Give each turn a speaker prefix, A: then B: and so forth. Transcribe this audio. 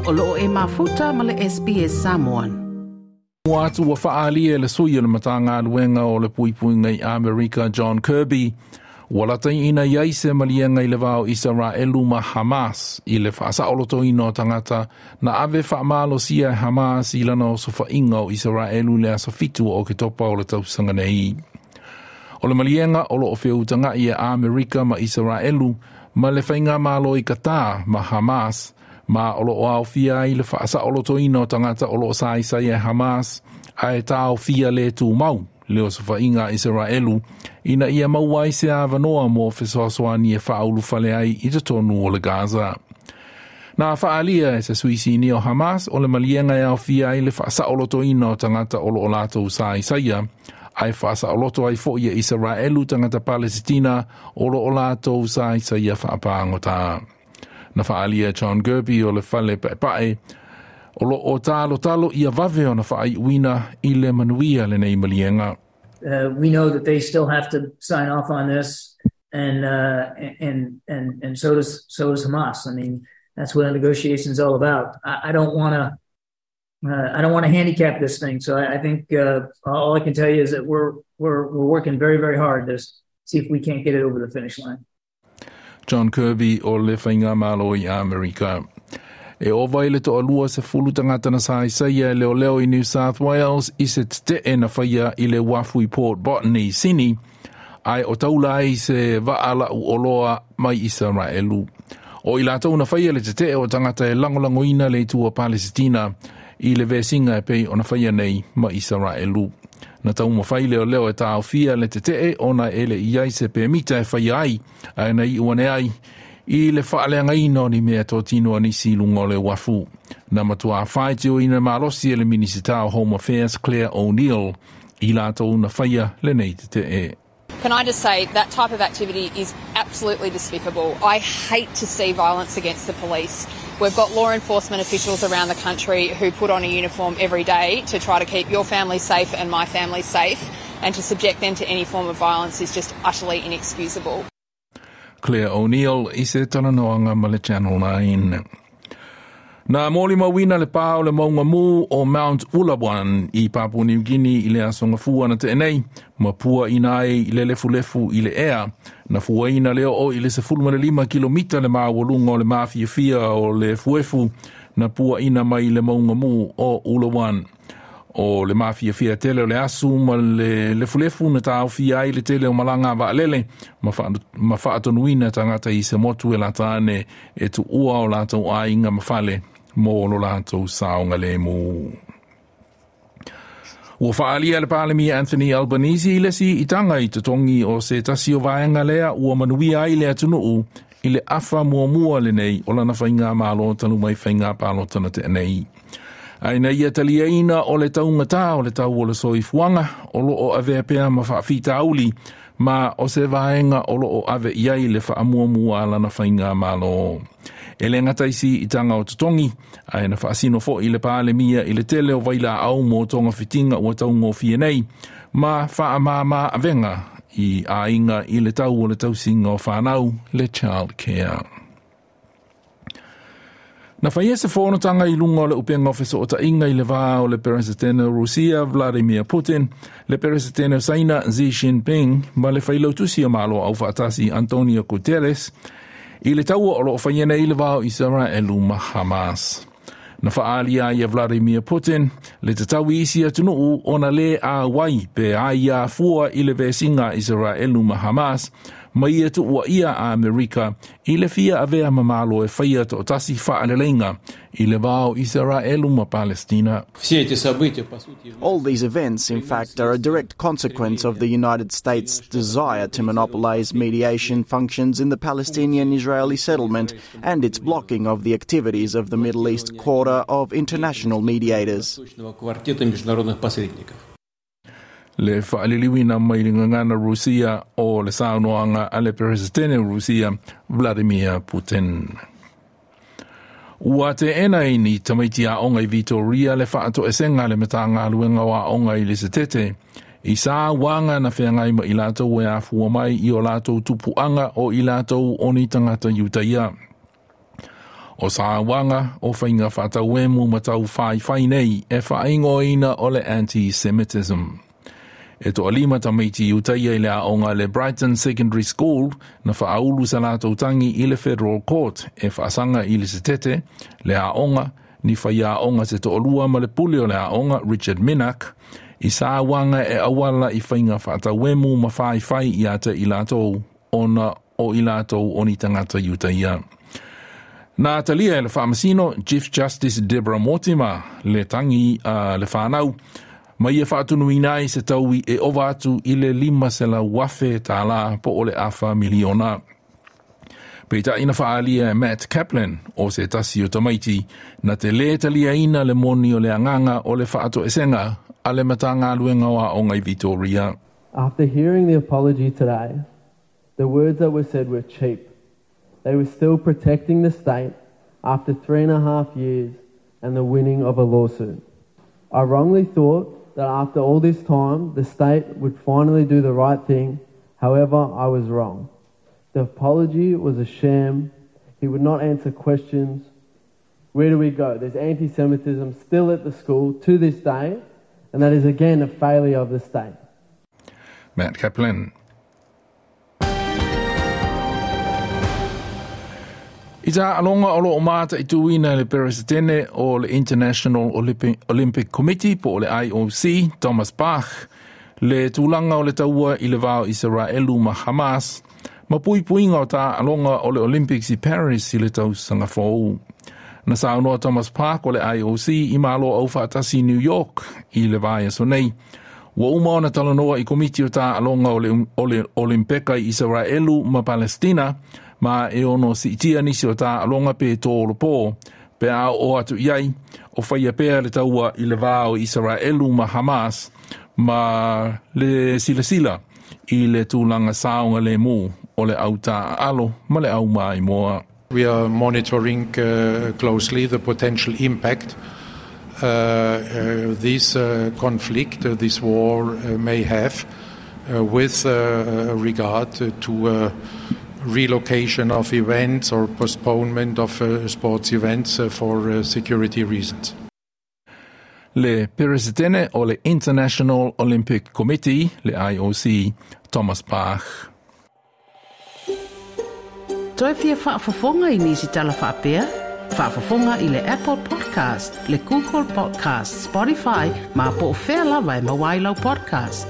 A: O loo e mafuta ma le SBS Samoan.
B: Ua atu ua faaalia e le sui o le Matagaluega o le Puipuiga i Amerika John Kirby, ua lataiina i ai se maliega i le va o Isaraelu ma Hamas i le faasaolotoina o tagata na ave faamalosia e Hamas i lana osofaiga o Isaraelu i le aso 7 o Oketopa o le tausaga nei. O le maliega o loo feutaga'i e Amerika ma Isaraelu ma le faigamalo i Qatar ma Hamas, ma o loo aofia ai le faasaolotoina o tagata o loo saisai e Hamas ae taofia le tumau le osofaiga a Isaraelu ina ia maua ai se avanoa mo fesoasoani e faaulufale ai i totonu o le Gaza. Na faaalia e se sui sinia o Hamas o le maliega e aofia ai le faasaolotoina o tagata o loo latou saisaia, ae faasaoloto ai fo'i e Isaraelu tagata Palesitina o loo latou saisaia faapagota. Na faaalia John Kirby o le fale paepae o loo talotalo ia vave ona faaiuina i le manuia lenei maliega.
C: We know that they still have to sign off on this, and so does Hamas. I mean, that's what a negotiation is all about. I don't want to I don't want to handicap this thing. So I think all I can tell you is that we're working very, very hard to see if we can't get it over the finish line.
B: John Kirby o le Faigamalo i Amerika. E ova i le 20 tagata na saisaia e leoleo i New South Wales i se tetee na faia i le uafu i Port Botany i Sini, ae o taula ai se vaa lau oloa mai Isaraelu. O i latou na faia le tetee o tagata e lagolagoina le itu a Palesitina i le vesiga e pei ona faia nei ma Isaraelu. Na taumafai leoleo e taofia le tetee ona e le i ai se pemita e faia ai, ae na iu ane ai i le faaleagaina o ni mea totino a nisi i luga o le uafu. Na matua faitioina malosi e le Minisita o Home Affairs Clare O'Neil i latou na faia lenei tetee.
D: Can I just say that type of activity is absolutely despicable. I hate to see violence against the police. We've got law enforcement officials around the country who put on a uniform every day to try to keep your family safe and my family safe, and to subject them to any form of violence is just utterly inexcusable.
B: Clare O'Neil i se talanoaga ma le Channel 9. Na molimauina le pā o le mauga mū o Mount Ulawan i Papua New Guinea i le aso Gafua na tea nei, ma puaina ai i le lefulefu i le ea. Na fuaina le oo i le 15 kilomita le maualuga o le mafiafia o le efuefu na puaina mai le mauga mū o Ulawan. O le mafiafia tele o le asu ma le lefulefu na taofia ai le tele o malaga a vaalele ma faatonuina tagata i se motu e lata ane e tuua o latou aiga ma fale mo lo latou saogalemu. Ua faaalia le Palemia Anthony Albanese i le siitaga i totogi o se tasi o vaega lea ua manuia ai le atunuu i le afa muamua lenei o lana faigamalo talu mai faiga palota na tea nei. Ae na ia taliaina o le taugatā o le tau o le soifuaga o loo avea pea ma faafitauli ma o se vaega o loo ave i ai le faamuamua a lana faigamalo. E le gata i siitaga o totogi, ae na faasino fo'i le Palemia i le tele o vailaau mo togafitiga ua taugofie nei, ma faamāmā avega i aiga i le tau o le tausiga o fanau le child care. Na faia se fonotaga i luga o le upega o fesootaiga i le va o le Peresetene o Rusia Vladimir Putin, le Peresetene o Saina Xi Jinping ma le failautusi o Malo Aufaatasi Antonio Guterres i le taua o loo faia nei i le va o Isaraelu ma Hamas. Na faaalia ai e Vladimir Putin le tatau i isi atunuu ona lē auai pe aiā fua i le vesiga a Isaraelu ma Hamas ma ia tuuaia a Amerika i le fia avea ma malo e faia toatasi faaleleiga i le va o Isaraelu ma Palestina.
E: All these events, in fact, are a direct consequence of the United States' desire to monopolize mediation functions in the Palestinian Israeli settlement and its blocking of the activities of the Middle East Quartet of international mediators.
B: Le faaliliuina mai le gagana Rusia o le saunoaga a le Peresetene o Rusia Vladimir Putin. Ua teena e ni tamaiti aoga i Vitoria le faatoesega a le Matagaluega o Aoga i le Setete i sauaga na feagai ma i latou e afua mai i o latou tupuaga o i latou o ni tagata Iutaia. O sauaga o faiga faatauemu ma taufaifai nei e faaigoaina o le anti-Semitism. E toalima tamaiti Iutaia i le aoga le Brighton Secondary School na faaulu sa latou tagi i le Federal Court e faasaga i le Setete, le aoga, ni faiaoga se toalua ma le pule o le aoga Richard Minack, i sauaga e auala i faiga faatauemu ma faifai ia te i latou ona o i latou o ni tagata Iutaia. Na talia e le faamasino Chief Justice Deborah Mortimer le tagi a le fanau ma ia faatonuina ai se taui e ova atu i le $500,000 po o le afa miliona. Peitai na faaalia e Matt Kaplan o se tasi o tamaiti na te lē taliaina le moni o le agaga o le faatoesega a le Matagaluega o Aoga i Victoria.
F: After hearing the apology today, the words that were said were cheap. They were still protecting the state after 3.5 years and the winning of a lawsuit. I wrongly thought that after all this time, the state would finally do the right thing. However, I was wrong. The apology was a sham. He would not answer questions. Where do we go? There's anti-Semitism still at the school to this day, and that is again a failure of the state.
B: Matt Kaplan. I taaloga o loo mataituina le Peresetene o le International Olympic Committee po o le IOC, Thomas Bach, le tulaga o le taua i le va o Isaraelu ma Hamas, ma puipuiga o taaloga o le Olympics i Paris i le tausaga fou. Na saunoa Thomas Bach o le IOC i Malo Aufaatasi i New York i le vaiaso nei. Ua uma ona talanoa i komiti o taaloga o le Olimpeka i Isaraelu ma Palestina, ma e ono siitia nisi o taaloga pe tolopo, pe a oo atu i ai, o faia pea le taua i le va o Isaraelu ma Hamas, ma le silasila i le tulaga saogalemu o le au taaalo ma le au maimoa.
G: We are monitoring closely the potential impact this conflict, this war may have with regard to relocation of events or postponement of sports events for security reasons.
B: Le Peresetene o le International Olympic Committee, le IOC, Thomas Bach.
A: Toe fia faafofoga i nisi tala faapea? Faafofoga i le Apple Podcast, le Google Podcast, Spotify, ma po o fea lava e maua ai lau podcast.